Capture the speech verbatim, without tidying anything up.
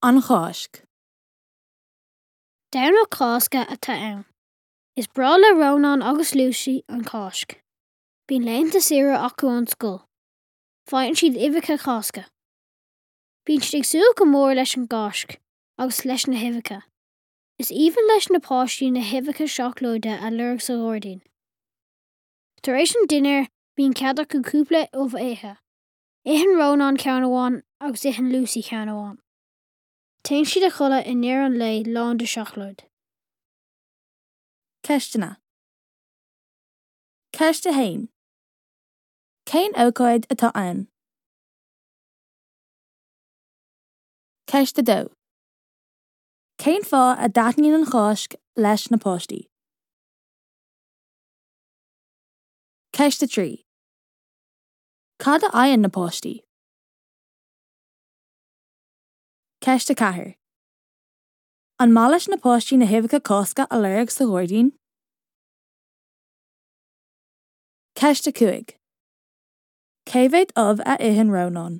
An Cháisc. Domhnach Cásca atá ann. Is breá le Rónán agus Lucy an Cháisc. Bíonn laethanta saoire acu ón scoil. Faigheann siad uibheacha Cásca. Bíonn siad ag súil go mór leis an gCáisc agus leis na huibheacha. Is aoibhinn leis na páistí na huibheacha seacláide a lorg sa ghairdín. Tar éis an dinnéir bíonn cead acu cúpla ubh a ithe. Itheann Rónán ceann amháin agus itheann Lucy ceann amháin. Téann siad a chodladh i ndeireadh an lae lán de seacláid. Ceisteanna. Ceist a haon. Cén ócáid atá ann? Ceist a dó. Cén fáth a dtaitníonn an Cháisc leis na páistí? Ceist a trí. Cad a fhaigheann na páistí? Ceist a ceathair. An maith leis na páistí na huibheacha Cásca a lorg sa ghairdín? Ceist a cúig. Cé mhéad ubh a itheann Rónán?